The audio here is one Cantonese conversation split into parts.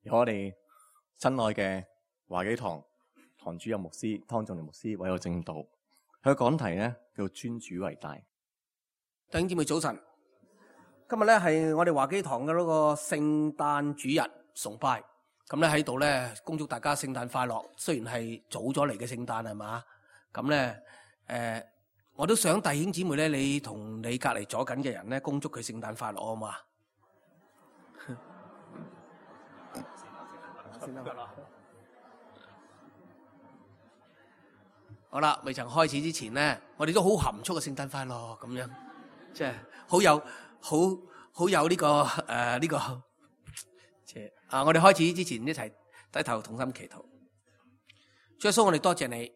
由我哋親愛嘅華基堂堂主任牧師湯仲年牧師為我證道，佢嘅講題咧叫尊主為大。弟兄姊妹早晨，今日咧係我哋華基堂嘅嗰個聖誕主日崇拜，咁咧喺度咧恭祝大家聖誕快樂。雖然係早咗嚟嘅聖誕係嘛，咁咧我都想弟兄姊妹咧，你同你隔離左緊嘅人咧，恭祝佢聖誕快樂啊嘛。好啦，未曾開始之前咧，我哋都好含蓄嘅聖誕快樂咁樣，即係好有呢個即係我哋開始之前一齊低頭同心祈禱。主耶穌，我哋多謝你，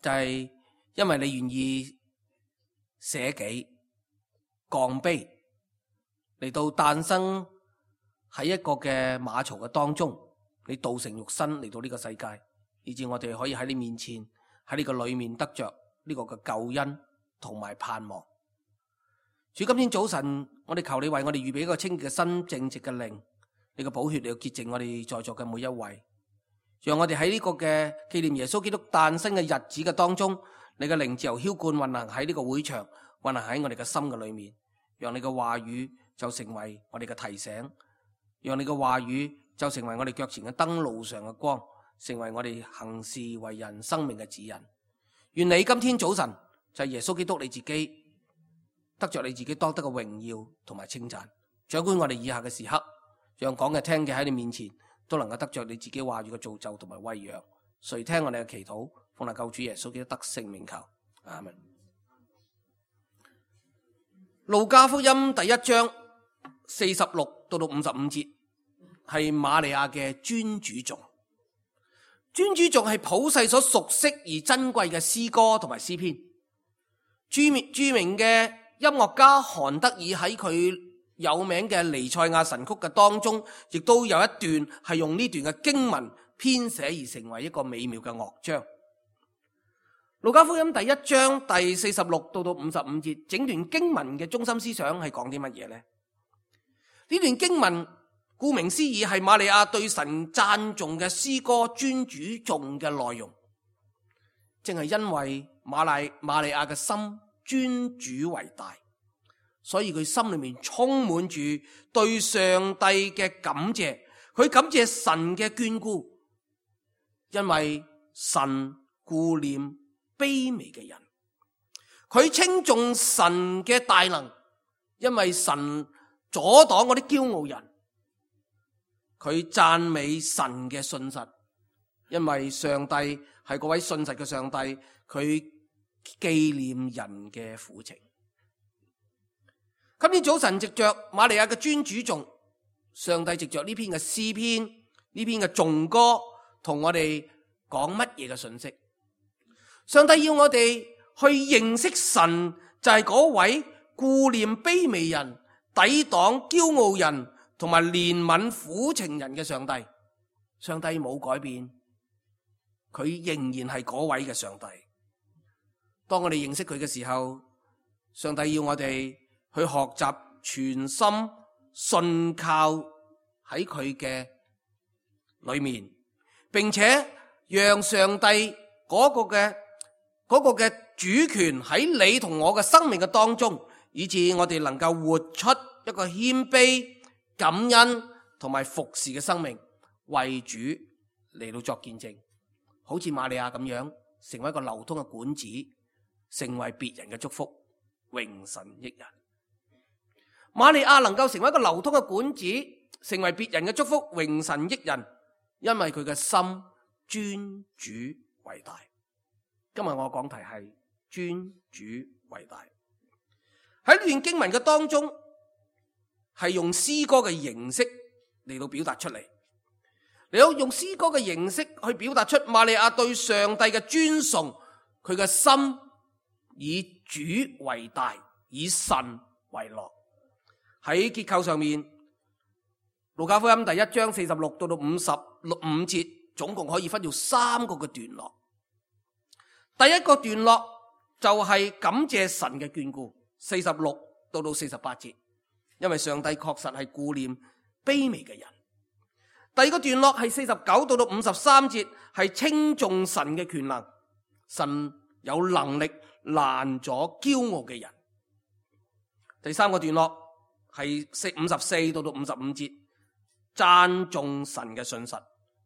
就係因為你願意捨己降卑嚟到誕生喺一個嘅馬槽嘅當中，你道成肉身嚟到呢個世界，以致我哋可以喺你面前，喺呢個裏面得着呢個嘅救恩同埋盼望。主，今天早晨我哋求你為我哋預備一個清潔嘅心、正直嘅靈，你嘅寶血嚟到潔淨我哋在座嘅每一位，讓我哋喺呢個嘅紀念耶穌基督誕生嘅日子嘅當中，你嘅靈自由澆灌運行喺呢個會場，運行喺我哋嘅心嘅裏面，讓你嘅話語就成為我哋嘅提醒，讓你嘅話語就成為我哋腳前嘅燈，路上嘅光，成為我哋行事為人生命嘅指引。願你今天早晨就係耶穌基督你自己得着你自己當得嘅榮耀同埋稱讚，掌管我哋以下嘅時刻，讓講嘅聽嘅喺你面前都能夠得着你自己話語嘅造就同埋餵養。垂聽我哋嘅祈禱，奉靠救主耶穌基督得聖名求，阿們。路加福音第1章46到55節係瑪利亞嘅尊主頌。尊主頌係普世所熟悉而珍貴嘅詩歌同埋詩篇。著名嘅音樂家韓德爾喺佢有名嘅彌賽亞神曲嘅當中，亦都有一段係用呢段嘅經文編寫而成為一個美妙嘅樂章。路加福音第1章第46到55節，整段經文嘅中心思想係講啲乜嘢呢？呢段經文顧名思義係瑪利亞對神讚頌嘅詩歌尊主頌嘅內容。正係因為瑪利亞嘅心尊主為大，所以佢心裏面充滿住對上帝嘅感謝，佢感謝神嘅眷顧，因為神顧念卑微嘅人，佢稱頌神嘅大能，因為神阻擋嗰啲驕傲人，佢讚美神嘅信實，因為上帝係嗰位信實嘅上帝，佢紀念人嘅苦情。今天早晨藉着瑪利亞嘅尊主頌，上帝藉着呢篇嘅詩篇，呢篇嘅頌歌，同我哋講乜嘢嘅信息？上帝要我哋去認識神，就係嗰位顧念卑微人、抵擋驕傲人同埋憐憫苦情人嘅上帝。上帝冇改變，佢仍然係嗰位嘅上帝。當我哋認識佢嘅時候，上帝要我哋去學習全心信靠喺佢嘅裏面，並且讓上帝嗰個嘅主權喺你同我嘅生命嘅當中，以致我哋能夠活出一個謙卑、感恩同埋服侍嘅生命，為主嚟到作見證，好似瑪利亞咁樣，成為一個流通嘅管子，成為別人嘅祝福，榮神益人。瑪利亞能夠成為一個流通嘅管子，成為別人嘅祝福，榮神益人，因為佢嘅心尊主為大。今日我講題係尊主為大。喺呢段經文嘅當中，係用詩歌嘅形式嚟到表達出嚟。你要用詩歌嘅形式去表達出瑪利亞對上帝嘅尊崇，佢嘅心以主為大，以神為樂。喺結構上面，路加福音第1章46到55節，總共可以分做3個嘅段落。第一個段落就係感謝神嘅眷顧，46到48節，因為上帝確實係顧念卑微嘅人。第二個段落係49到53節，係稱頌神嘅權能，神有能力攔阻驕傲嘅人。第三個段落係54到55節，讚頌神嘅信實，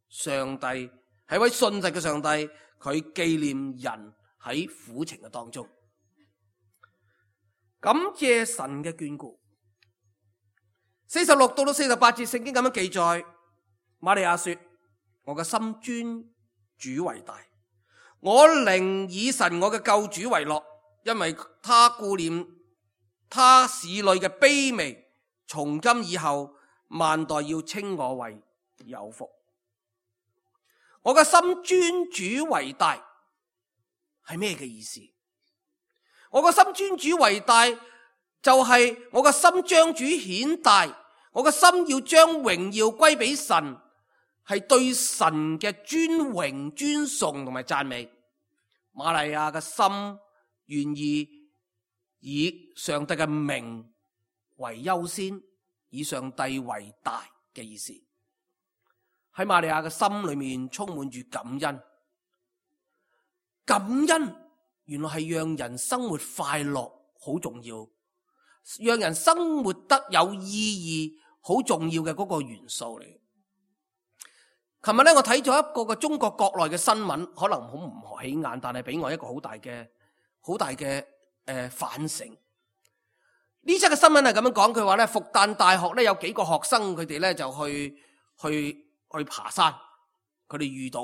上帝係位信實嘅上帝，佢紀念人喺苦情嘅當中，感謝神嘅眷顧。46到48節聖經咁樣記載，瑪利亞說：我嘅心尊主為大，我靈以神我嘅救主為樂，因為他顧念他使女嘅卑微，從今以後萬代要稱我為有福。我嘅心尊主為大係咩嘅意思？我嘅心尊主為大就係我嘅心將主顯大，我嘅心要將榮耀歸俾神，係對神嘅尊榮尊崇同埋讚美。瑪利亞嘅心願意以上帝嘅名為優先，以上帝為大嘅意思。喺瑪利亞嘅心裏面充滿住感恩，感恩原來係讓人生活快樂好重要，讓人生活得有意義好重要嘅嗰個元素嚟。琴日咧，我睇咗一個嘅中國國內嘅新聞，可能好唔起眼，但係俾我一個好大嘅反省。呢則嘅新聞係咁樣講，佢話咧，復旦大學咧有幾個學生，佢哋咧就去爬山，佢哋遇到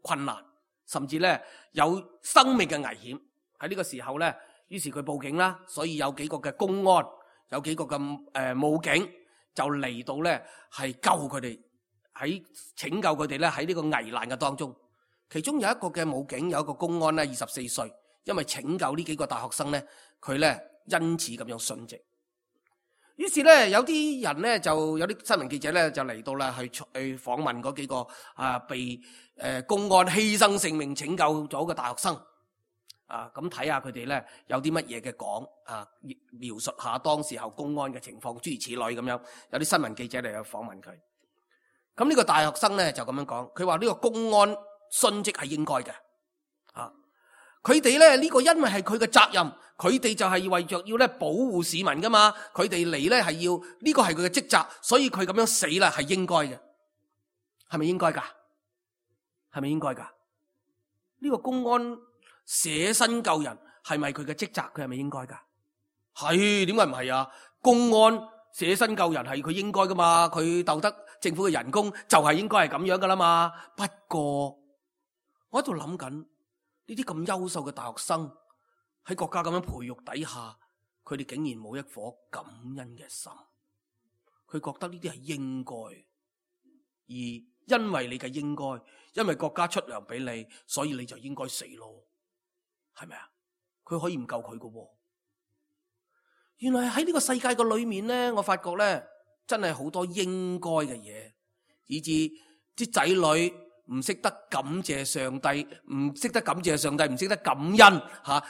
困難，甚至咧有生命嘅危險。喺呢個時候咧，於是佢報警啦，所以有幾個嘅公安，有幾個嘅武警就嚟到咧係救佢哋，喺拯救佢哋咧喺呢個危難嘅當中。其中有一個嘅武警，有一個公安咧24歲，因為拯救呢幾個大學生咧，佢咧因此咁樣殉職。於是咧，有啲人咧就有啲新聞記者咧就嚟到啦，去訪問嗰幾個被公安犧牲性命拯救咗嘅大學生咁睇下佢哋咧有啲乜嘢嘅講描述下當時候公安嘅情況，諸如此類咁樣。有啲新聞記者嚟去訪問佢。咁呢個大學生咧就咁樣講，佢話呢個公安殉職係應該嘅佢哋咧呢個因為係佢嘅責任，佢哋就係為着要咧保護市民噶嘛，佢哋嚟咧係要呢個係佢嘅職責，所以佢咁樣死啦係應該嘅。係咪應該噶？係咪應該噶？呢個公安捨身救人係咪佢嘅職責？佢係咪應該噶？係，點解唔係啊？公安捨身救人係佢應該噶嘛，佢鬥得政府嘅人工就係應該係咁樣噶啦嘛。不過我喺度諗緊。呢啲咁優秀嘅大學生喺國家咁樣培育底下，佢哋竟然冇一顆感恩嘅心。佢覺得呢啲係應該，而因為你嘅應該，因為國家出糧俾你，所以你就應該死咯，係咪啊？佢可以唔救佢㗎喎。原來喺呢個世界嘅裏面咧，我發覺咧真係好多應該嘅嘢，以致啲仔女唔識得感謝上帝，唔識得感謝上帝，唔識得感恩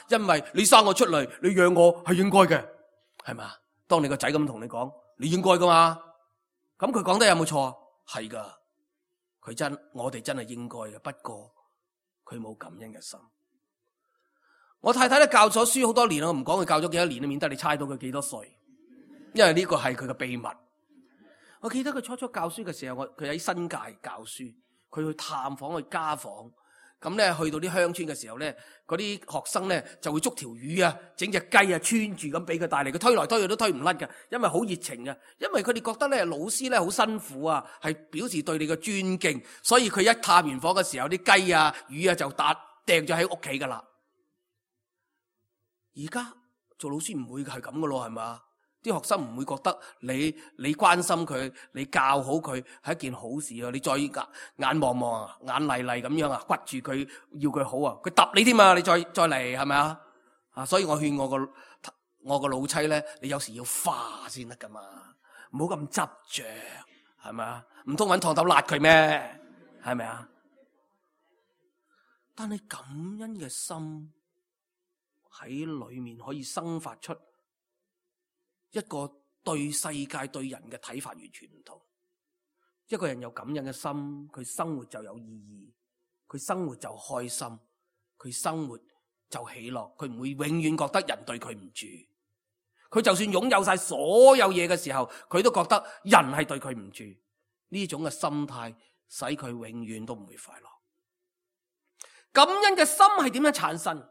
因為你生我出嚟，你養我係應該嘅，係咪？當你個仔咁同你講，你應該噶嘛？咁佢講得有冇錯？係噶，我哋真係應該嘅，不過佢冇感恩嘅心。我太太咧教咗書好多年，我唔講佢教咗幾多年，免得你猜到佢幾多歲，因為呢個係佢嘅秘密。我記得佢初初教書嘅時候，佢喺新界教書。佢去探訪，去家訪，咁咧去到啲鄉村嘅時候咧，嗰啲學生咧就會捉條魚啊，整隻雞啊，穿住咁俾佢帶嚟，佢推來推去都推唔甩嘅，因為好熱情嘅，因為佢哋覺得咧老師咧好辛苦啊，係表示對你嘅尊敬，所以佢一探完訪嘅時候，啲雞啊、魚啊就掟咗喺屋企噶啦。而家做老師唔會係咁噶咯，係嘛？啲學生唔會覺得你關心佢，你教好佢係一件好事啊！你再眼望望啊，眼厲厲咁樣啊，屈住佢要佢好啊，佢揼你添啊！你再嚟係咪啊？所以我勸我個老妻咧，你有時要化先得噶嘛，唔好咁執着，係咪啊？唔通揾燙斗辣佢咩？係咪啊？但係感恩嘅心喺裏面可以生發出一個對世界對人嘅睇法完全唔同。一個人有感恩嘅心，佢生活就有意義，佢生活就開心，佢生活就喜樂，佢唔會永遠覺得人對佢唔住。佢就算擁有晒所有嘢嘅時候，佢都覺得人係對佢唔住。呢種嘅心態使佢永遠都唔會快樂。感恩嘅心係點樣產生？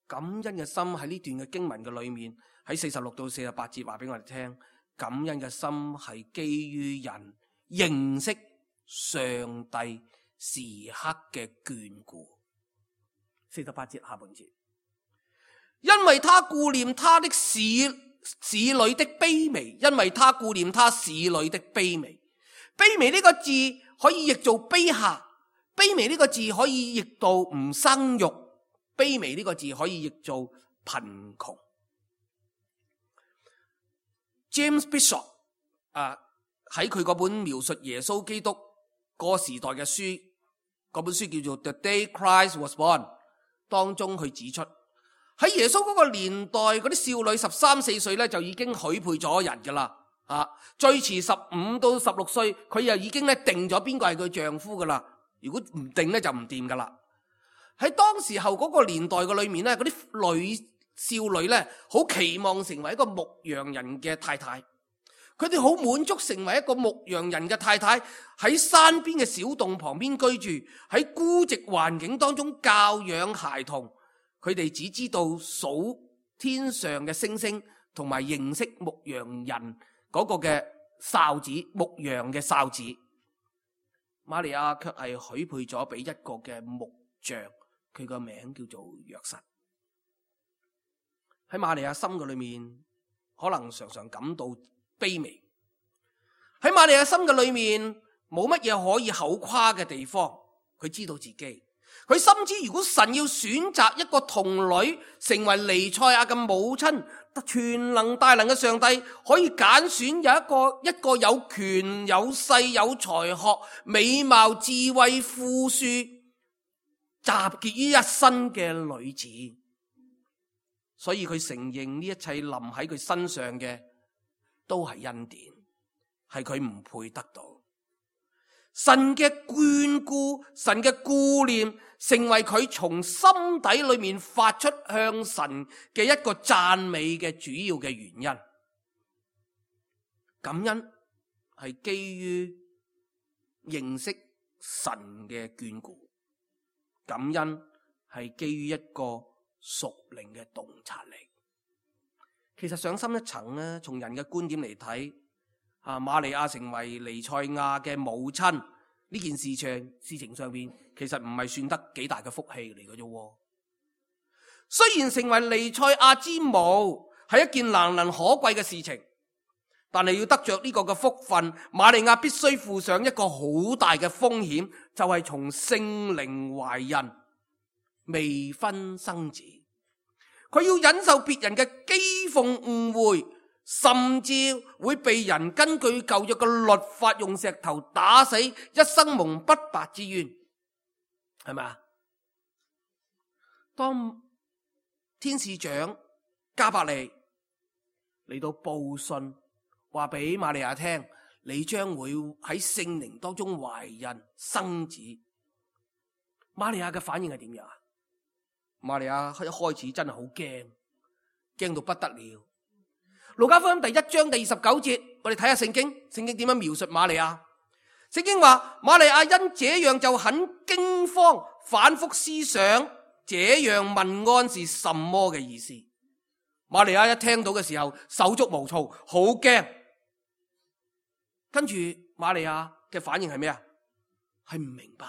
感恩嘅心喺呢段嘅經文嘅裏面，喺46到48節話俾我哋聽，感恩嘅心係基於人認識上帝時刻嘅眷顧。48節下半節，因為他顧念他的使女的卑微，因為他顧念他使女的卑微。卑微呢個字可以譯做卑下，卑微呢個字可以譯到唔生育，卑微呢個字可以譯做貧窮。James Bishop 喺佢嗰本描述耶穌基督嗰個時代嘅書，嗰本書叫做 The Day Christ Was Born 當中，佢指出喺耶穌嗰個年代，嗰啲少女13、14歲咧就已經許配咗人噶啦，最遲15到16歲，佢又已經咧定咗邊個係佢丈夫噶啦。如果唔定咧就唔掂噶啦。喺當時候嗰個年代嘅裏面咧，嗰啲少女咧好期望成為一個牧羊人嘅太太，佢哋好滿足成為一個牧羊人嘅太太，喺山邊嘅小洞旁邊居住，喺孤寂環境當中教養孩童。佢哋只知道數天上嘅星星，同埋認識牧羊人嗰個嘅哨子，牧羊嘅哨子。瑪利亞卻係許配咗俾一個嘅木匠，佢個名叫做約瑟。喺瑪利亞心嘅裏面，可能常常感到卑微。喺瑪利亞心嘅裏面，冇乜嘢可以口誇嘅地方。佢知道自己，佢深知如果神要選擇一個童女成為彌賽亞嘅母親，全能大能嘅上帝可以揀選有一個有權有勢有才學美貌智慧富庶集結於一身嘅女子，所以佢承認呢一切臨喺佢身上嘅都係恩典，係佢唔配得到。神嘅眷顧，神嘅顧念，成為佢從心底裏面發出向神嘅一個讚美嘅主要嘅原因。感恩係基於認識神嘅眷顧，感恩係基於一個屬靈嘅洞察力。其實上深一層呢，從人嘅觀點嚟睇，瑪利亞成為彌賽亞嘅母親呢件事情上邊，其實唔係算得幾大嘅福氣嚟嘅啫。雖然成為彌賽亞之母係一件難能可貴嘅事情，但係要得着呢個嘅福分，瑪利亞必須負上一個好大嘅風險，就係從聖靈懷孕，未婚生子。佢要忍受別人嘅譏諷誤會，甚至會被人根據舊約嘅律法用石頭打死，一生蒙不白之冤，係咪啊？當天使長加百利嚟到報信，話俾瑪利亞聽，你將會喺聖靈當中懷孕生子。瑪利亞嘅反應係點樣啊？瑪利亞一開始真係好驚，驚到不得了。路加福音第1章第29節，我哋睇下聖經點樣描述瑪利亞。聖經話瑪利亞因這樣就很驚慌，反覆思想這樣問安是什麼嘅意思。瑪利亞一聽到嘅時候手足無措，好驚。跟住瑪利亞嘅反應係咩啊？係唔明白，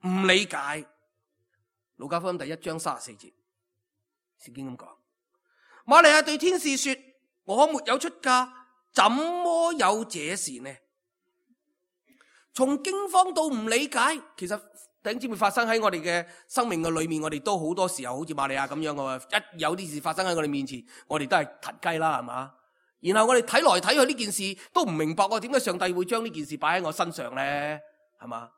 唔理解。路加福音第1章34節，聖經咁講。瑪利亞對天使說：我沒有出嫁，怎麼有這事呢？從驚慌到唔理解，其實弟兄姊妹發生喺我哋嘅生命嘅裏面，我哋都好多時候好似瑪利亞咁樣嘅，一有啲事發生喺我哋面前，我哋都係騰雞啦，係嘛？然後我哋睇來睇去呢件事都唔明白，點解上帝會將呢件事擺喺我身上呢？係嘛？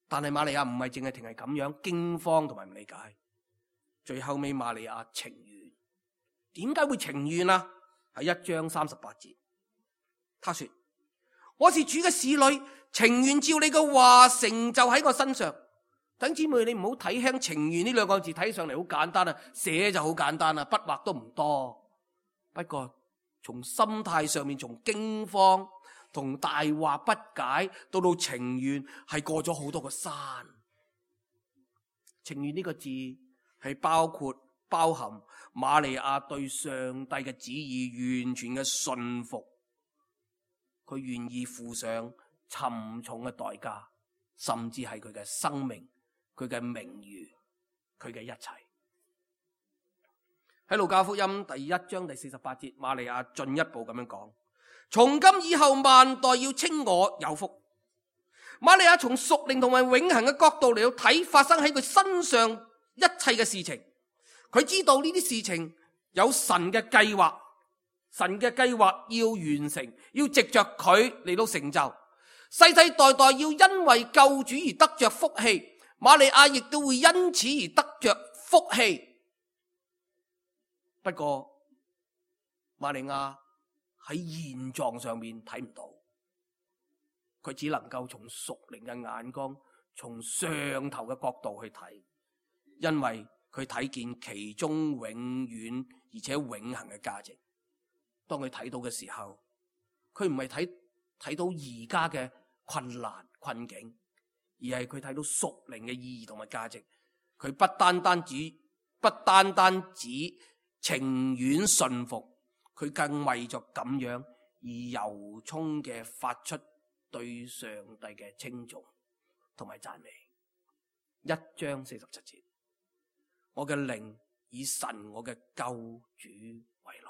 但係瑪利亞唔係淨係停係咁樣驚慌同埋唔理解，最後尾瑪利亞情願。點解會情願啊？喺1章38節，他說：我是主嘅使女，情願照你嘅話成就喺我身上。弟兄姊妹，你唔好睇輕情願呢兩個字，睇上嚟好簡單啊，寫就好簡單啊，筆畫都唔多。不過從心態上面，從驚慌同大惑不解到情願，係過咗好多個山。情願呢個字係包含瑪利亞對上帝嘅旨意完全嘅信服，佢願意付上沉重嘅代價，甚至係佢嘅生命、佢嘅名譽、佢嘅一切。喺路加福音第1章第48節，瑪利亞進一步咁樣講：從今以後萬代要稱我有福。瑪利亞從屬靈同埋永恆嘅角度嚟到睇發生喺佢身上一切嘅事情，佢知道呢啲事情有神嘅計劃，神嘅計劃要完成，要藉着佢嚟到成就，世世代代要因為救主而得着福氣，瑪利亞亦都會因此而得着福氣。不過瑪利亞喺現狀上面睇唔到，佢只能夠從屬靈嘅眼光，從上頭嘅角度去睇，因為佢睇見其中永遠而且永恆嘅價值。當佢睇到嘅時候，佢唔係睇到而家嘅困難困境，而係佢睇到屬靈嘅意義同埋價值。佢不單單止情願順服，佢更為咗咁樣而由衷嘅發出對上帝嘅稱頌同埋讚美。1章47節，我嘅靈以神我嘅救主為樂。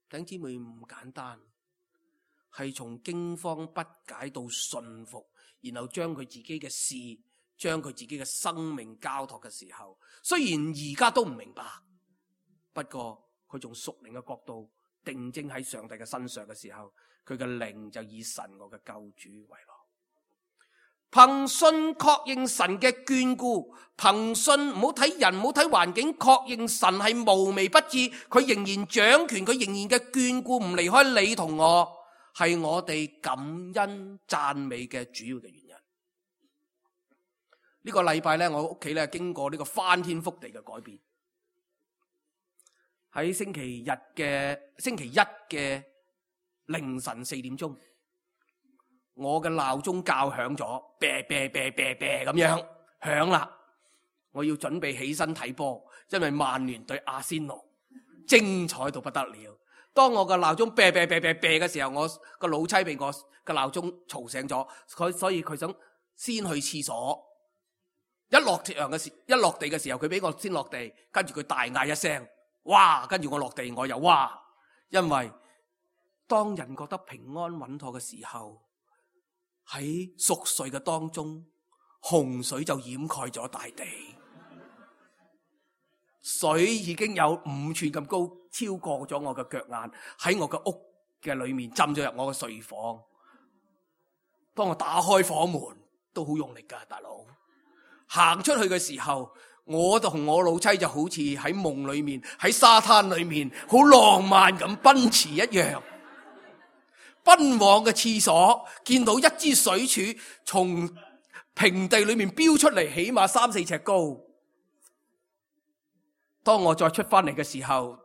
弟兄姊妹，唔簡單，係從驚慌不解到順服，然後將佢自己嘅事，將佢自己嘅生命交託嘅時候，雖然而家都唔明白，不過佢從屬靈嘅角度定睛喺上帝嘅身上嘅時候，佢嘅靈就以神我嘅救主為樂。憑信確認神嘅眷顧，憑信唔好睇人，唔好睇環境，確認神係無微不至，佢仍然掌權，佢仍然嘅眷顧唔離開你同我，係我哋感恩讚美嘅主要嘅原因。呢個禮拜咧，我屋企咧經過呢個翻天覆地嘅改變。喺星期一嘅凌晨4點鐘，我嘅鬧鐘教響咗，啤啤啤啤啤咁樣響啦。我要準備起身睇波，因為曼聯對阿仙奴精彩到不得了。當我嘅鬧鐘啤啤啤啤啤嘅時候，我個老妻被我嘅鬧鐘嘈醒咗，所以佢想先去廁所。一落地嘅時候，佢俾我先落地，跟住佢大嗌一聲，哇！跟住我落地，我又哇！因為當人覺得平安穩妥嘅時候，喺熟睡嘅當中，洪水就掩蓋咗大地，水已經有5寸咁高，超過咗我嘅腳眼，喺我嘅屋嘅裏面浸咗入我嘅睡房。當我打開房門，都好用力噶，大佬。行出去嘅時候，我同我老妻就好似喺夢裏面，喺沙灘裏面好浪漫咁奔馳一樣，奔往嘅廁所，見到一支水柱從平地裏面飆出嚟，起碼3-4尺高。當我再出翻嚟嘅時候，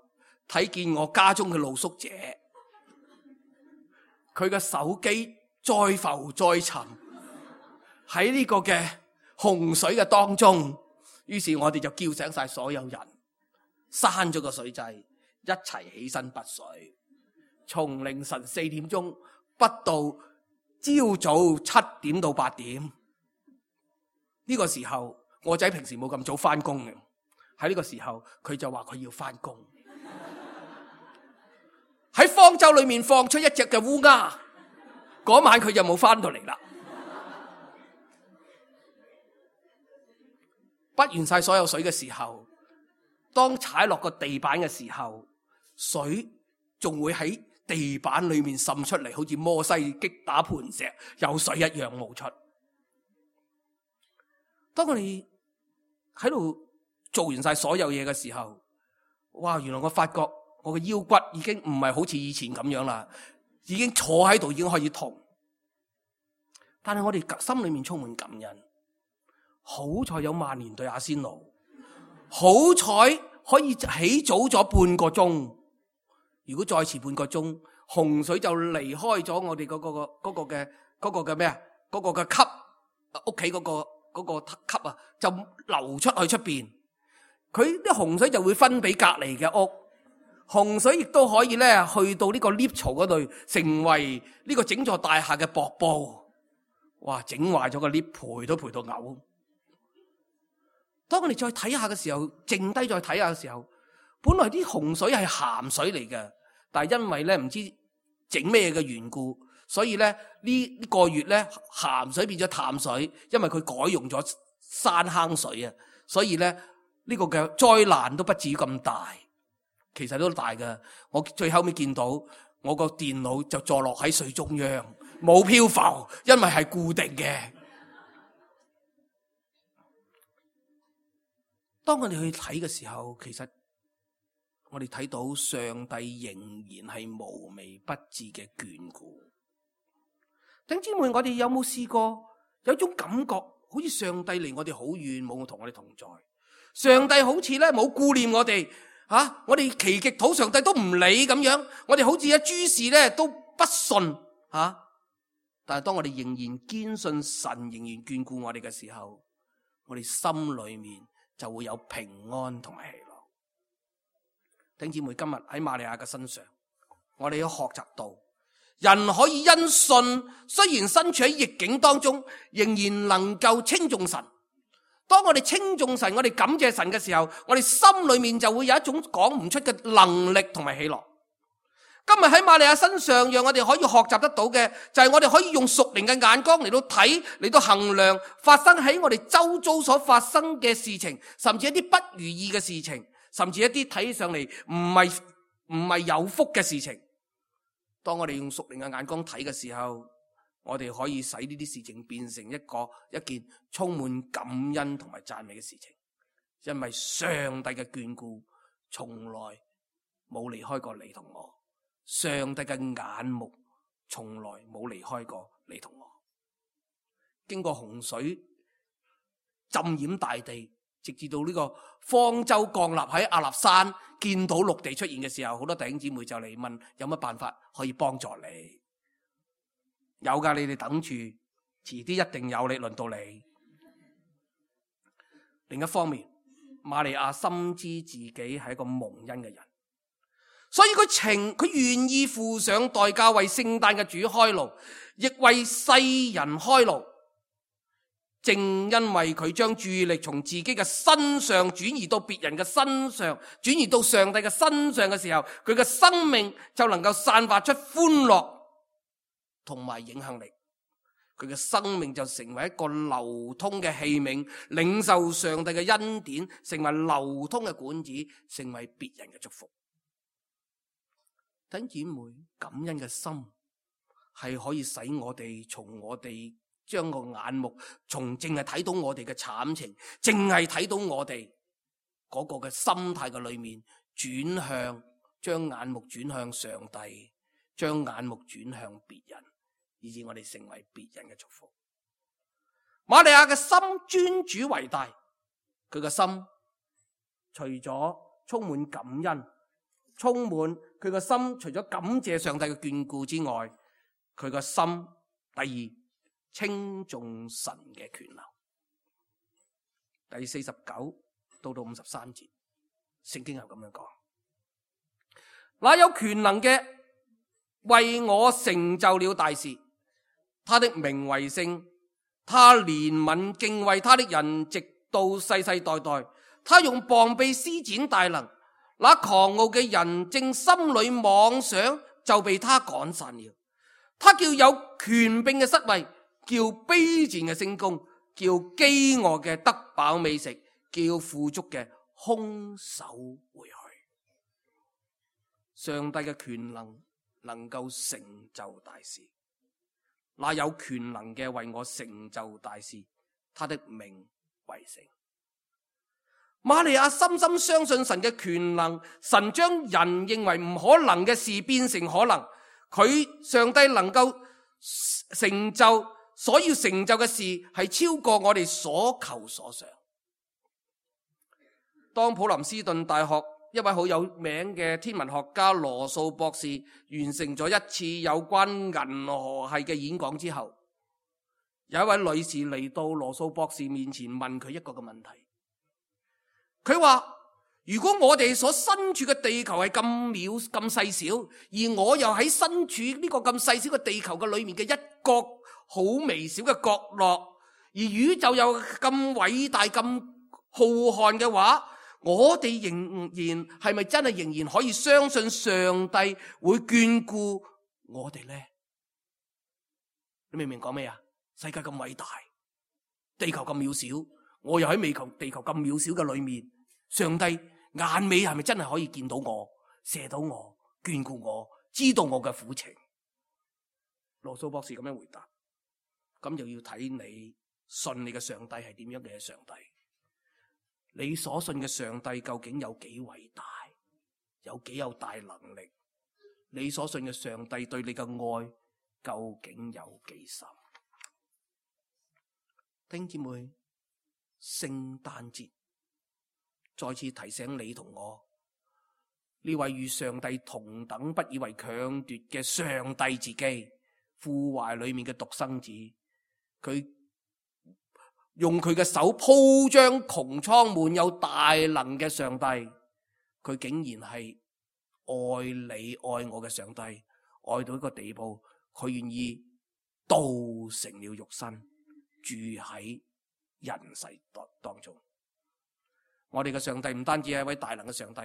睇見我家中嘅露宿者，佢嘅手機再浮再沉喺呢個嘅洪水嘅當中，於是我哋就叫醒晒所有人，閂咗個水掣，一齊起身拔水，從凌晨4點鐘拔到朝早7點到8點。呢個時候我仔平時冇咁早翻工嘅，喺呢個時候佢就話佢要翻工。喺方舟裏面放出一隻嘅烏鴉，嗰晚佢就冇翻到嚟啦。拔完晒所有水嘅時候，當踩落個地板嘅時候，水仲會喺地板裏面滲出嚟，好似摩西擊打磐石有水一樣冒出。當我哋喺度做完晒所有嘢嘅時候，哇！原來我發覺我嘅腰骨已經唔係好似以前咁樣啦，已經坐喺度已經可以痛。但係我哋心裏面充滿感恩。好彩有曼聯對阿仙奴，好彩可以起早咗半個鐘。如果再遲半個鐘，洪水就離開咗我哋嗰個咩啊？嗰個嘅級，屋企嗰個級啊，就流出去出邊。佢啲洪水就會分俾隔離嘅屋。洪水亦都可以咧去到呢個 lift 槽嗰度，成為呢個整座大廈嘅瀑布。哇！整壞咗個 lift，賠都賠到嘔。當我哋再睇下嘅時候，靜低再睇下嘅時候，本來啲洪水係鹹水嚟嘅，但係因為咧唔知整咩嘅緣故，所以咧呢個月咧鹹水變咗淡水，因為佢改用咗山坑水啊，所以咧呢個嘅災難都不至於咁大。其實都大㗎，我最後尾見到我個電腦就坐落喺水中央，冇漂浮，因為係固定嘅。當我哋去睇嘅時候，其實我哋睇到上帝仍然係無微不至嘅眷顧。弟兄姊妹，我哋有冇試過有種感覺，好似上帝離我哋好遠，冇同我哋同在。上帝好似咧冇顧念我哋。我哋祈極禱上帝都唔理咁樣，我哋好似諸事咧都不順但係當我哋仍然堅信神仍然眷顧我哋嘅時候，我哋心裏面就會有平安同埋喜樂。弟兄姊妹，今日喺瑪利亞嘅身上，我哋要學習到人可以因信，雖然身處喺逆境當中，仍然能夠稱頌神。當我哋稱頌神，我哋感謝神嘅時候，我哋心裏面就會有一種講唔出嘅能力同埋喜樂。今日喺瑪利亞身上，讓我哋可以學習得到嘅，就係我哋可以用屬靈嘅眼光嚟到睇，嚟到衡量發生喺我哋周遭所發生嘅事情，甚至一啲不如意嘅事情，甚至一啲睇上嚟唔係有福嘅事情。當我哋用屬靈嘅眼光睇嘅時候，我哋可以使呢啲事情變成一件充滿感恩同埋讚美嘅事情，因為上帝嘅眷顧從來冇離開過你同我，上帝嘅眼目從來冇離開過你同我。經過洪水浸淹大地，直至到呢個方舟降立喺亞納山，見到陸地出現嘅時候，好多弟兄姊妹就嚟問有乜辦法可以幫助你。有㗎，你哋等住，遲啲一定有你輪到你。另一方面，瑪利亞深知自己係一個蒙恩嘅人，所以佢願意付上代價為聖誕嘅主開路，亦為世人開路。正因為佢將注意力從自己嘅身上轉移到別人嘅身上，轉移到上帝嘅身上嘅時候，佢嘅生命就能夠散發出歡樂同埋影響力，佢嘅生命就成為一個流通嘅器皿，領受上帝嘅恩典，成為流通嘅管子，成為別人嘅祝福。弟兄姊妹，感恩嘅心係可以使我哋從我哋將個眼目從淨係睇到我哋嘅慘情，淨係睇到我哋嗰個嘅心態嘅裏面，轉向將眼目轉向上帝，將眼目轉向別人，以致我哋成為別人嘅祝福。瑪利亞嘅心尊主為大，佢嘅心除咗充滿感恩，充滿佢嘅心除咗感謝上帝嘅眷顧之外，佢嘅心第二稱頌神嘅權能。第49到53節，聖經係咁樣講：那有權能嘅為我成就了大事，他的名為聖，他憐憫敬畏他的人直到世世代代。他用膀臂施展大能，那狂傲嘅人正心裏妄想，就被他趕散了。他叫有權柄嘅失位，叫卑賤嘅升高，叫飢餓嘅得飽美食，叫富足嘅空手回去。上帝嘅權能夠成就大事，那有權能嘅為我成就大事，他的名為聖。瑪利亞深深相信神嘅權能，神將人認為唔可能嘅事變成可能，上帝能夠成就所要成就嘅事係超過我哋所求所想。當普林斯頓大學一位好有名嘅天文學家羅素博士完成咗一次有關銀河系嘅演講之後，有一位女士嚟到羅素博士面前問佢一個嘅問題。佢話：如果我哋所身處嘅地球係咁渺咁細小，而我又喺身處呢個咁細小嘅地球嘅裏面嘅一角好微小嘅角落，而宇宙又咁偉大咁浩瀚嘅話，我哋仍然係咪真係仍然可以相信上帝會眷顧我哋呢？你明唔明講咩啊？世界咁偉大，地球咁渺小，我又喺地球咁渺小嘅裏面，上帝眼尾係咪真係可以見到我、射到我、眷顧我、知道我嘅苦情？羅素博士咁樣回答，咁就要睇你信你嘅上帝係點樣嘅上帝。你所信嘅上帝究竟有幾偉大，有幾有大能力？你所信嘅上帝對你嘅愛究竟有幾深？弟兄姊妹，聖誕節再次提醒你同我，呢位與上帝同等不以為強奪嘅上帝自己，父懷裏面嘅獨生子，佢用佢嘅手鋪張穹蒼滿有大能嘅上帝，佢竟然係愛你愛我嘅上帝，愛到一個地步，佢願意道成了肉身，住喺人世當中。我哋嘅上帝唔單止係一位大能嘅上帝，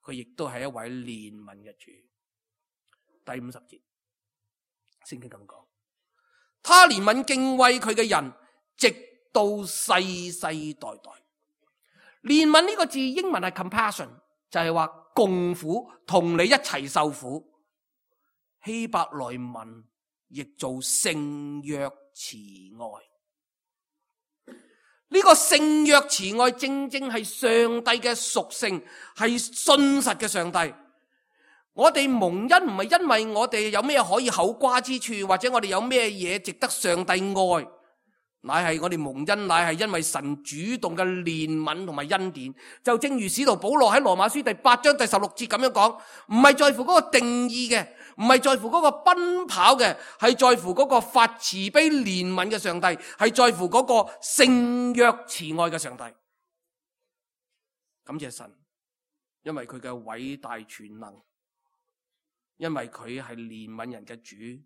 佢亦都係一位憐憫嘅主。第50節，聖經咁講，他憐憫敬畏佢嘅人，直到世世代代。憐憫呢個字英文係 compassion， 就係話共苦，同你一齊受苦。希伯來文譯做聖約慈愛。呢個聖約慈愛正正係上帝嘅屬性，係信實嘅上帝。我哋蒙恩唔係因為我哋有咩可以口瓜之處，或者我哋有咩嘢值得上帝愛，乃係我哋蒙恩，乃係因為神主動嘅憐憫同埋恩典。就正如使徒保羅喺羅馬書第8章第16節咁樣講，唔係在乎嗰個定義嘅，唔係在乎嗰個奔跑嘅，係在乎嗰個發慈悲憐憫嘅上帝，係在乎嗰個聖約慈愛嘅上帝。感謝神，因為佢嘅偉大全能，因為佢係憐憫人嘅主。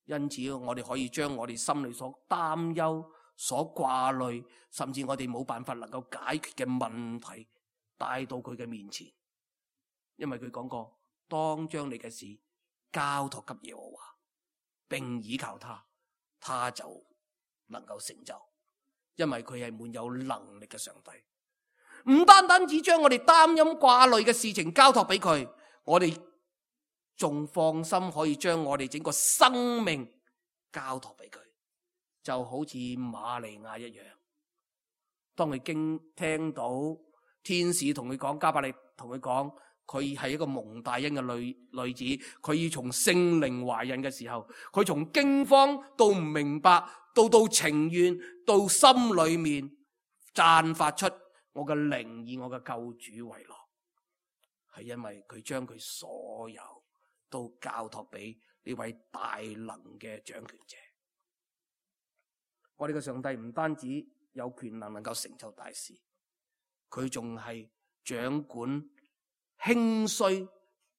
因此我哋可以將我哋心裏所擔憂、所掛慮，甚至我哋冇辦法能夠解決嘅問題帶到佢嘅面前。因為佢講過，當將你嘅事交託給耶和華，並倚靠他，他就能夠成就。因為佢係滿有能力嘅上帝，唔單單只將我哋擔憂掛慮嘅事情交託俾佢，我哋仲放心可以將我哋整個生命交託俾佢，就好似瑪利亞一樣。當佢聽到天使同佢講，加百利同佢講，佢係一個蒙大恩嘅女子，佢要從聖靈懷孕嘅時候，佢從驚慌到唔明白，到情願，到心裏面綻發出我嘅靈以我嘅救主為樂，係因為佢將佢所有都交託俾呢位大能嘅掌權者。我哋嘅上帝唔單止有權能夠成就大事，佢仲係掌管興衰、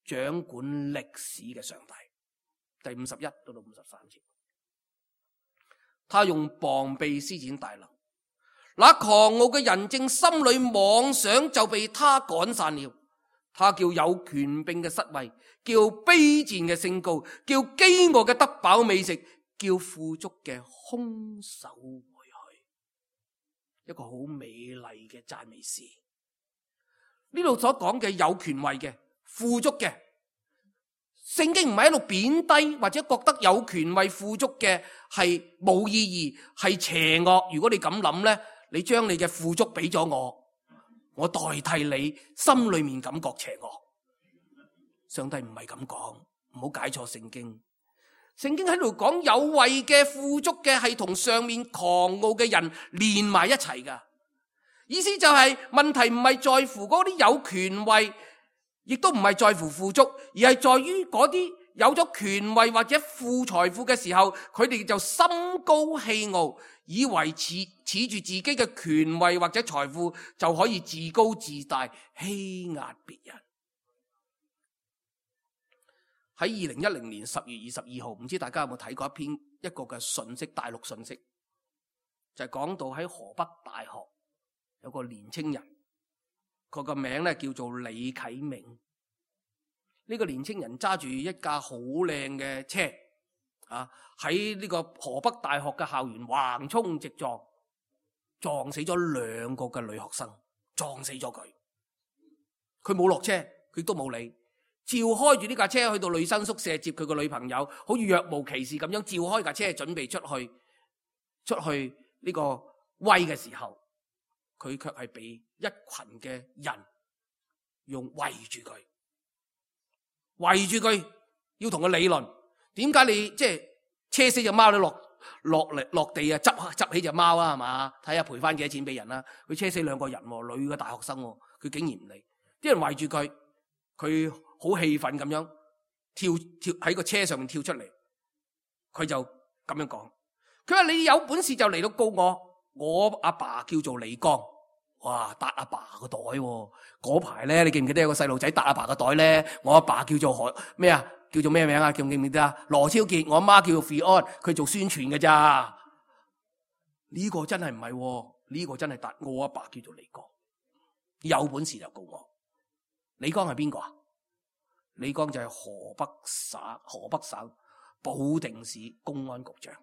掌管歷史嘅上帝。第51到53節，他用膀臂施展大能，那狂傲嘅人正心裏妄想，就被他趕散了。他叫有權柄嘅失位，叫卑賤嘅升高，叫飢餓嘅得飽美食，叫富足嘅空手回去。一個好美麗嘅讚美詩。呢度所講嘅有權位嘅、富足嘅，聖經唔係喺度貶低或者覺得有權位富足嘅係冇意義，係邪惡。如果你咁諗呢，你將你嘅富足俾咗我代替你心裏面感覺邪惡。上帝唔係咁講，唔好解錯聖經。聖經喺度講有位嘅富足嘅係同上面狂傲嘅人連埋一齊噶。意思就係問題唔係在乎嗰啲有權位，亦都唔係在乎富足，而係在於嗰啲有咗權位或者富財富嘅時候，佢哋就心高氣傲，以為恃住自己嘅權位或者財富就可以自高自大，欺壓別人。喺2010年10月22號，唔知大家有冇睇過一個嘅信息，大陸信息，就係講到喺河北大學有個年青人，佢個名咧叫做李啟明。呢個年青人揸住一架好靚嘅車，喺呢個河北大學嘅校園橫衝直撞，撞死咗2個嘅女學生，撞死咗佢。佢冇落車，佢都冇理，照開住呢架車去到女生宿舍接佢個女朋友，好似若無其事咁樣照開架車準備出去呢個威嘅時候，佢卻係被一群嘅人用圍住佢，要同佢理論。點解你即係車死隻貓都落地啊？執起隻貓啊，係嘛？睇下賠翻幾多錢俾人啦。佢車死2個人，女嘅大學生，佢竟然唔理，啲人圍住佢，佢好氣憤咁樣跳喺個車上面跳出嚟，佢就咁樣講：佢話你有本事就嚟到告我阿爸叫做李剛。哇！搭阿爸個袋喎，嗰排咧，你記唔記得有個細路仔搭阿爸個袋咧？我阿爸叫做咩啊？叫做咩名啊？記唔記得啊？羅超傑，我阿媽叫做 Fion， 佢做宣傳嘅咋？呢個真係唔係，呢個真係搭我阿爸叫做李剛，有本事就告我。李剛係邊個啊？李剛就係河北省保定市公安局長。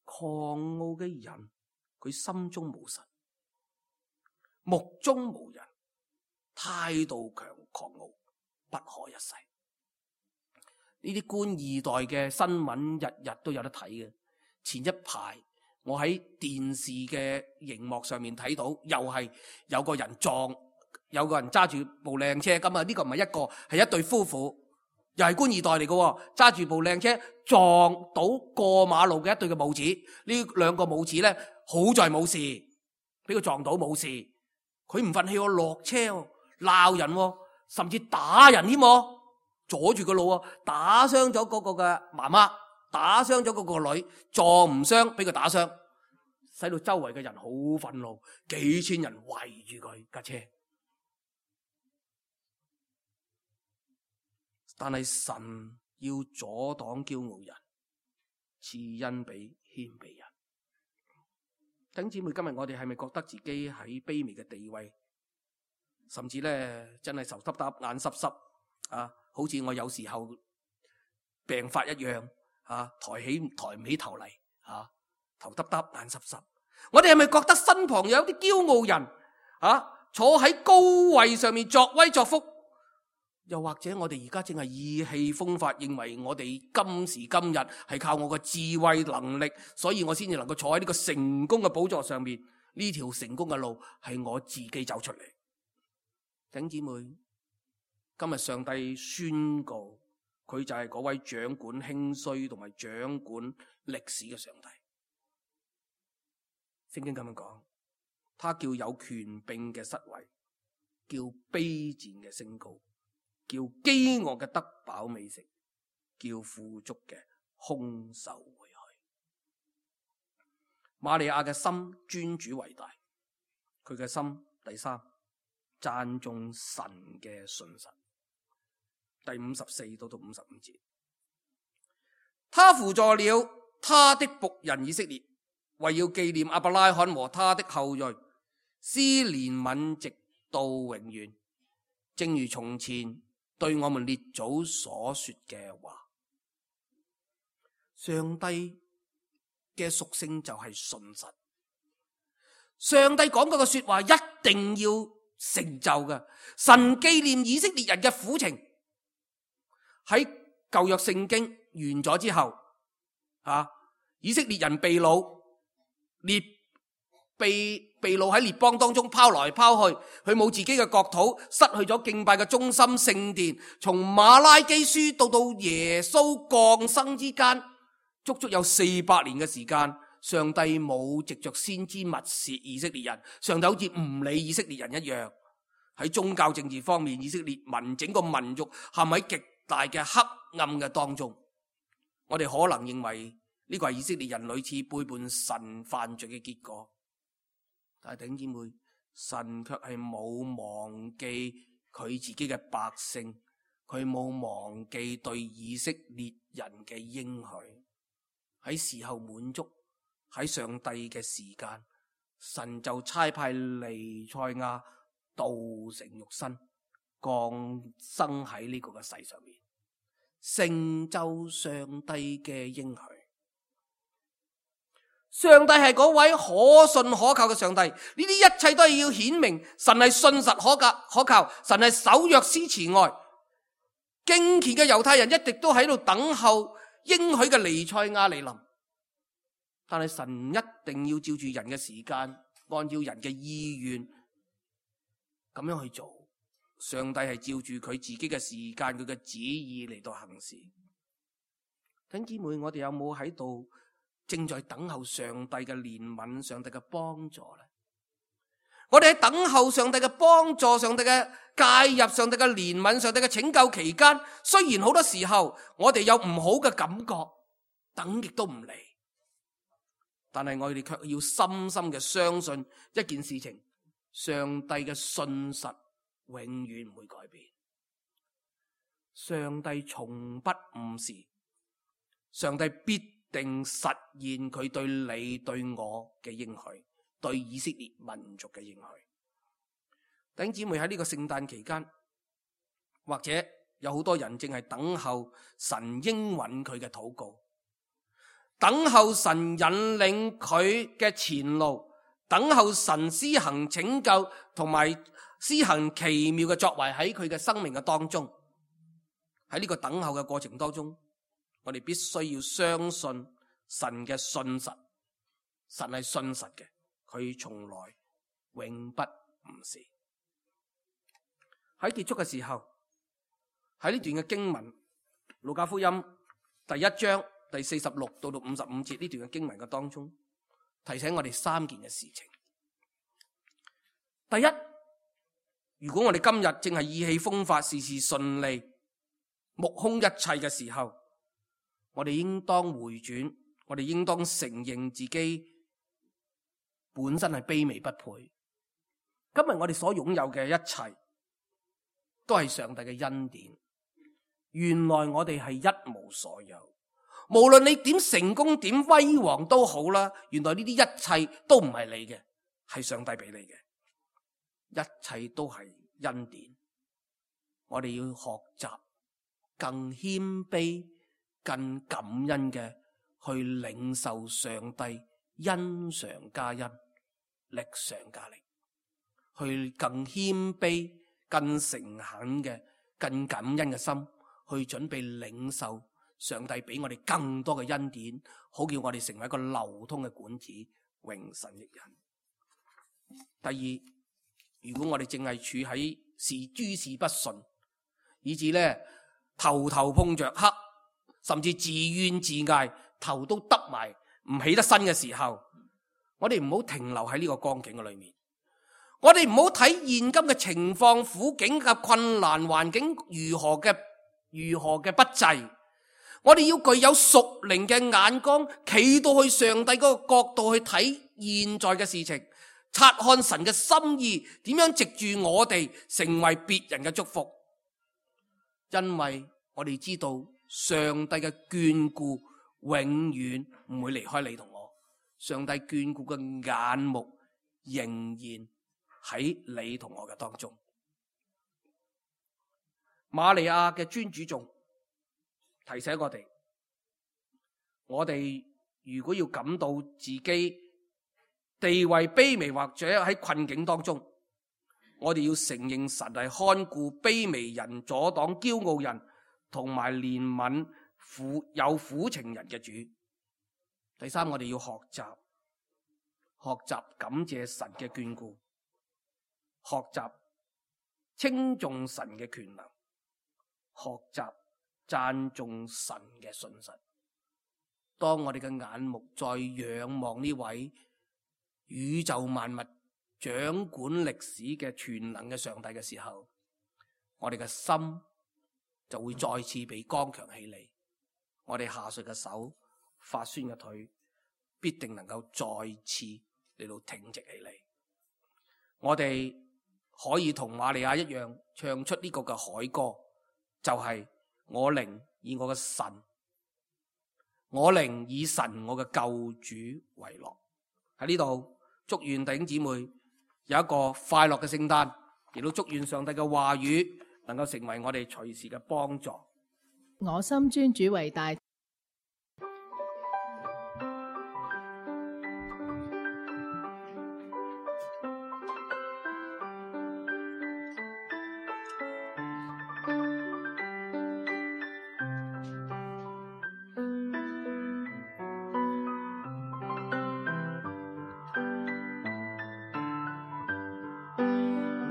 狂傲嘅人，佢心中無神，目中無人，態度狂傲，不可一世。呢啲官二代嘅新聞日日都有得睇嘅。前一排我喺電視嘅熒幕上面睇到，又係有個人揸住部靚車。咁啊，呢個唔係一個，係一對夫婦，又係官二代嚟嘅，揸住部靚車撞到過馬路嘅一對嘅母子。呢2個母子咧，好在冇事，俾佢撞到冇事。佢唔忿氣，落車鬧人，甚至打人添，阻住個路，打傷咗嗰個嘅媽媽，打傷咗嗰個女，撞唔傷，俾佢打傷，使到周圍嘅人好憤怒，幾千人圍住佢架車。但係神要阻擋驕傲人，賜恩俾謙卑人。弟兄姊妹，今日我哋係咪覺得自己喺卑微嘅地位，甚至咧真係頭耷耷眼濕濕啊，好似我有時候病發一樣啊，抬唔起頭嚟啊，頭耷耷眼濕濕。我哋係咪覺得身旁有啲驕傲人啊，坐喺高位上面作威作福？又或者我哋而家正係意氣風發，認為我哋今時今日係靠我嘅智慧能力，所以我先至能夠坐喺呢個成功嘅寶座上面。呢條成功嘅路係我自己走出嚟。弟兄姊妹，今日上帝宣告，佢就係嗰位掌管興衰同埋掌管歷史嘅上帝。聖經咁樣講，他叫有權柄嘅失位，叫卑賤嘅升高，叫飢餓嘅得飽美食，叫富足嘅空手回去。瑪利亞嘅心尊主為大，佢嘅心第3讚頌神嘅信實。第54到55節，他扶助了他的僕人以色列，為要紀念亞伯拉罕和他的後裔，施憐憫直到永遠，正如從前對我們列祖所說嘅話。上帝嘅屬性就係信實，上帝講嗰個說話一定要成就嘅。神紀念以色列人嘅苦情，喺舊約聖經完咗之後，以色列人被擄，被被擄喺列邦當中拋來拋去，佢冇自己嘅國土，失去咗敬拜嘅中心聖殿。從馬拉基書到耶穌降生之間，足足有400年嘅時間，上帝冇藉着先知默示以色列人，上帝好似唔理以色列人一樣。喺宗教政治方面，以色列民整個民族陷喺極大嘅黑暗嘅當中。我哋可能認為呢個係以色列人屢次背叛神犯罪嘅結果，但係弟兄姊妹，神卻係冇忘記佢自己嘅百姓，佢冇忘記對以色列人嘅應許。喺時候滿足，喺上帝嘅時間，神就差派彌賽亞道成肉身，降生喺呢個嘅世上面，成就上帝嘅應許。上帝係嗰位可信可靠嘅上帝，呢啲一切都係要顯明神係信實可靠，神係守約施慈愛。敬虔嘅猶太人一直都喺度等候應許嘅彌賽亞嚟臨，但係神一定要照住人嘅時間，按照人嘅意願咁樣去做。上帝係照住佢自己嘅時間，佢嘅旨意嚟到行事。弟兄姊妹，我哋有冇喺度正在等候上帝嘅憐憫、上帝嘅幫助呢？我哋喺等候上帝嘅幫助、上帝嘅介入、上帝嘅憐憫、上帝嘅拯救期間，雖然好多時候我哋有唔好嘅感覺，等極都唔嚟，但係我哋卻要深深嘅相信一件事情：上帝嘅信實永遠唔會改變，上帝從不誤事，上帝必定實現佢對你對我嘅應許，對以色列民族嘅應許。弟兄姊妹，喺呢個聖誕期間，或者有好多人正係等候神應允佢嘅禱告，等候神引領佢嘅前路，等候神施行拯救同埋施行奇妙嘅作為喺佢嘅生命嘅當中。喺呢個等候嘅過程當中，我哋必須要相信神嘅信實，神係信實嘅，佢從來永不誤事。喺結束嘅時候，喺呢段嘅經文，路加福音第1章第46到55節呢段嘅經文嘅當中，提醒我哋3件嘅事情。第一，如果我哋今日正係意氣風發、事事順利、目空一切嘅時候，我哋應當回轉，我哋應當承認自己本身係卑微不配。今日我哋所擁有嘅一切都係上帝嘅恩典。原來我哋係一無所有，無論你點成功、點威煌都好啦。原來呢啲一切都唔係你嘅，係上帝俾你嘅，一切都係恩典。我哋要學習更謙卑、更感恩嘅去領受上帝恩上加恩、力上加力，去更謙卑、更誠懇嘅、更感恩嘅心去準備領受上帝俾我哋更多嘅恩典，好叫我哋成為一個流通嘅管子，榮神益人。第二，如果我哋淨係處喺諸事不順，以致咧頭頭碰着黑，甚至自怨自艾，頭都耷埋唔起得身嘅時候，我哋唔好停留喺呢個光景嘅裏面。我哋唔好睇現今嘅情況、苦境嘅困難環境如何嘅不濟，我哋要具有屬靈嘅眼光，企到去上帝嗰個角度去睇現在嘅事情，察看神嘅心意，點樣藉住我哋成為別人嘅祝福。因為我哋知道上帝嘅眷顧永遠唔會離開你同我，上帝眷顧嘅眼目仍然喺你同我嘅當中。瑪利亞嘅尊主頌提醒我哋如果要感到自己地位卑微或者喺困境當中，我哋要承認神係看顧卑微人、阻擋驕傲人同埋憐憫有苦情人嘅主。第三，我哋要學習學習感謝神嘅眷顧，學習稱頌神嘅權能，學習讚頌神嘅信實。當我哋嘅眼目再仰望呢位宇宙萬物掌管歷史嘅全能嘅上帝嘅時候，我哋嘅心就會再次被剛強起嚟，我哋下垂嘅手、發酸嘅腿必定能夠再次嚟到挺直起嚟。我哋可以同瑪利亞一樣唱出呢個嘅凱歌，就係我靈以我嘅神，我靈以神我嘅救主為樂。喺呢度祝願弟兄姊妹有一個快樂嘅聖誕，亦都祝願上帝嘅話語能夠成為我哋隨時嘅幫助。我心尊主為大。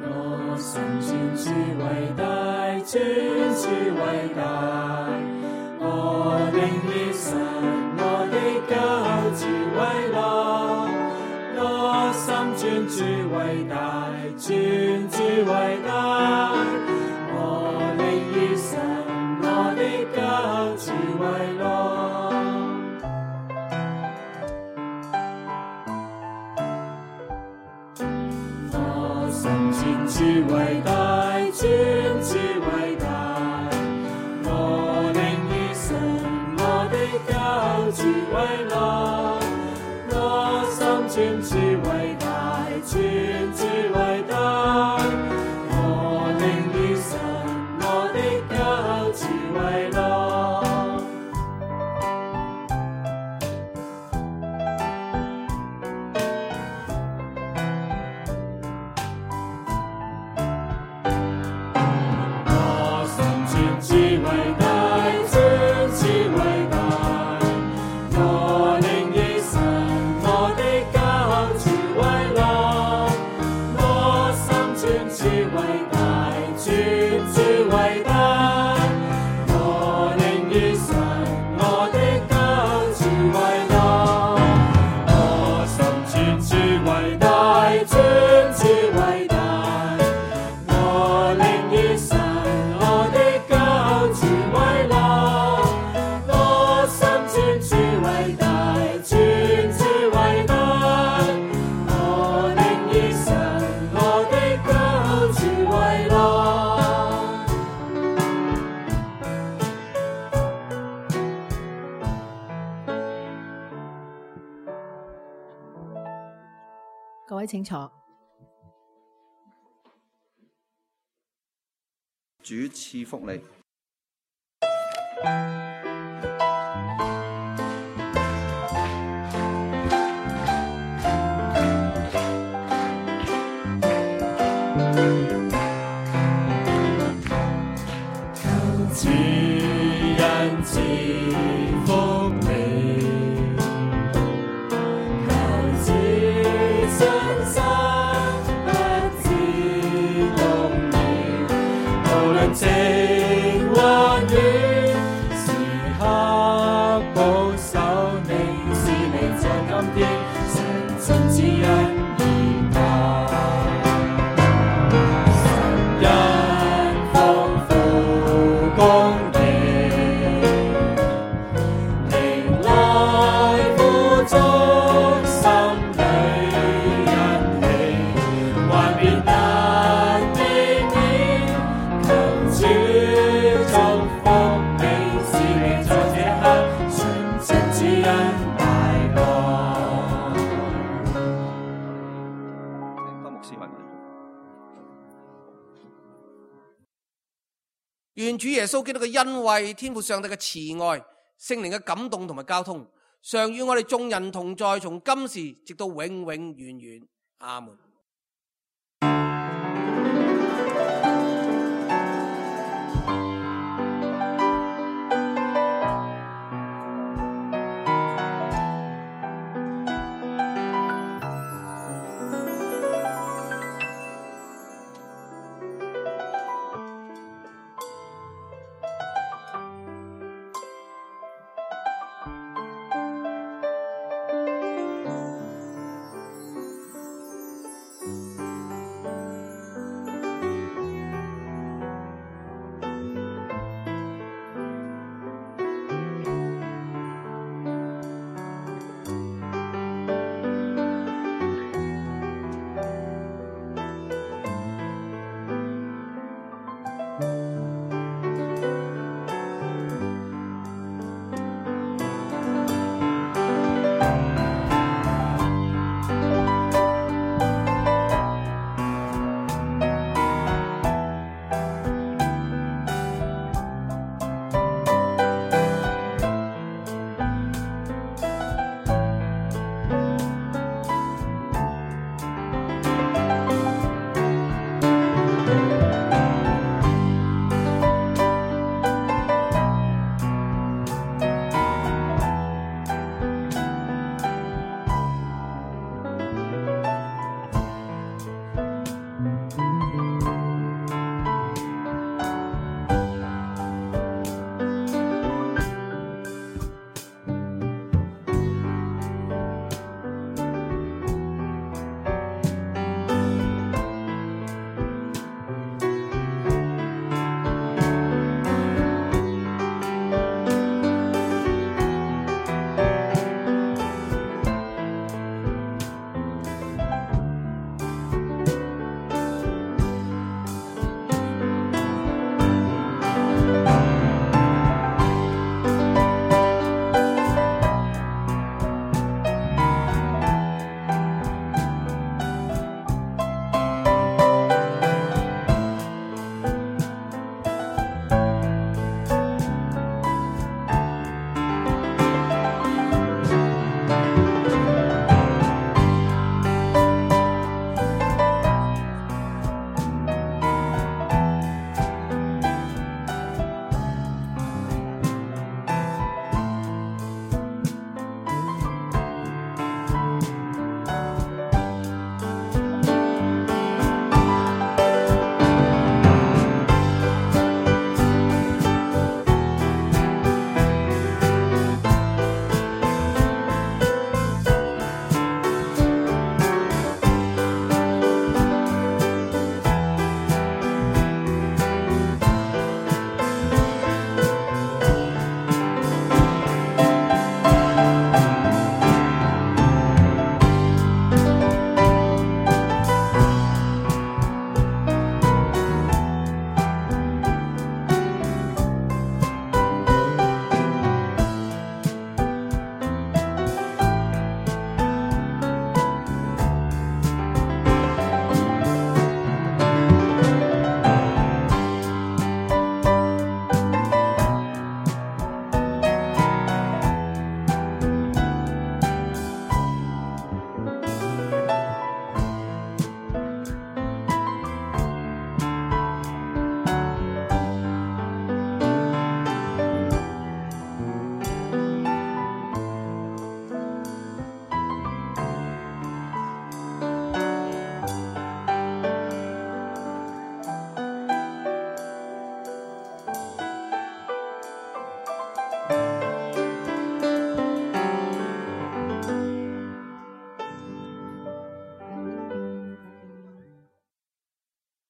我心尊主為大，尊主為大，我靈以神我的救主為樂。我心尊主為大，尊主為大，我靈以神我的救主為樂。尊主為大，尊主為大，我靈以神我的救主為樂。我心尊主為大，尊主為大，我靈以神我的救主為樂。各位請坐。主賜福你。求主恩賜福你。情或遠，時刻保守你，是你在今天常盡指引而行。神恩豐富公義，靈來富足，心裏欣喜，幻變難避免。主祝福你，是你在這刻純正指引大樂。請多牧師為我。願主耶穌基督嘅恩惠、天父上帝嘅慈愛、聖靈嘅感動同埋交通，常與我哋眾人同在，從今時直到永永遠遠。阿門。